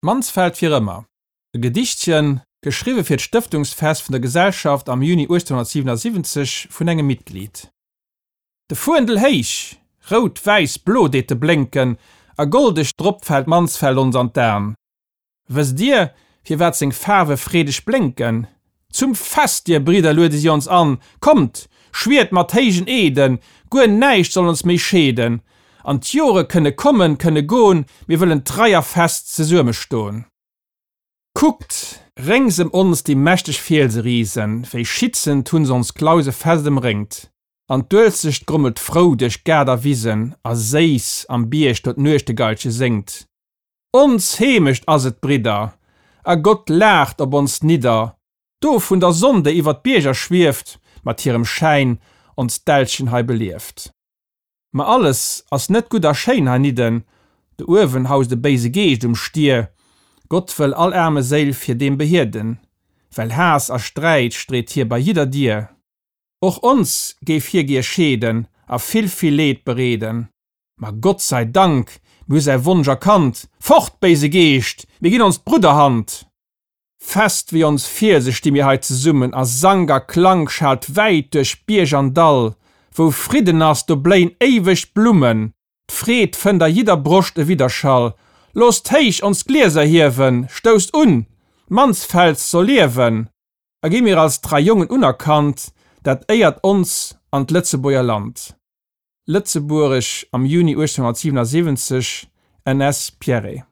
Mansfeld fir ëmmer. E Gedichtchen, geschriwwe fir d'Stëftungsfest vun der Gesellschaft am Juni 1877 vun engem Mitglied. De Fuendel héich, rout, wäiss, blo deet e blénken, a goldeg drop fält Mansfeld ons an d'An. Wësst dir, firwat seng Faarwe freedeg blénken? Zum Fest, dir Bridder, luede si ons an, kommt, schwiert mat héijen Eeden, guer näischt soll ons méi scheeden, an d'Jore kënne kommen, kënne gon, mir wëllen trei a fest zesuemme ston. Kuckt, réngs em ons déi mächteg Fielse risen, wéi schitzend hunn s'ons Clause fest emréngt, an d'Uelzecht grommelt frou duerch Gaart a Wisen, a séiss am Bierg do d'Nuechtegailche séngt. Ons Heemecht ass et, Bridder, a Gott laacht op ons nidder, do vun der Sonn, déi iwwer d'Bierger schwieft, mat hirem Schäin ons Dällchen hei belieft. Ma alles ass net gutt a schéin heinidden, do uewen haust e béise Geescht um Stier, Gott wëll all aarme Séil fir deem behieden, well Haass a Sträit street hie bei jidder Dier. Och ons géif hie gier scheeden a vill, vill Leed bereeden. Ma Gott sei Dank, mir hu säi Wonsch erkannt, Fort, béise Geescht, mir ginn ons d'Brudderhand! Fest wéi ons Fielse sti mir hei zesummen, a Sank a Klank schaalt wäit duerch Bierg an Dall. Wou Fridden ass, do bléien éiweg d'Blummen, d'Freed fënnt a jidder Broscht e Widderschall. Loosst héich ons Glieser hiewen, stousst un, d'Mansfels soll liewen! A gi mir als trei Jongen unerkannt, dat éiert ons an d'Lëtzebuerger Land. Lëtzebuerg am Juni 1877, NS. Pierret.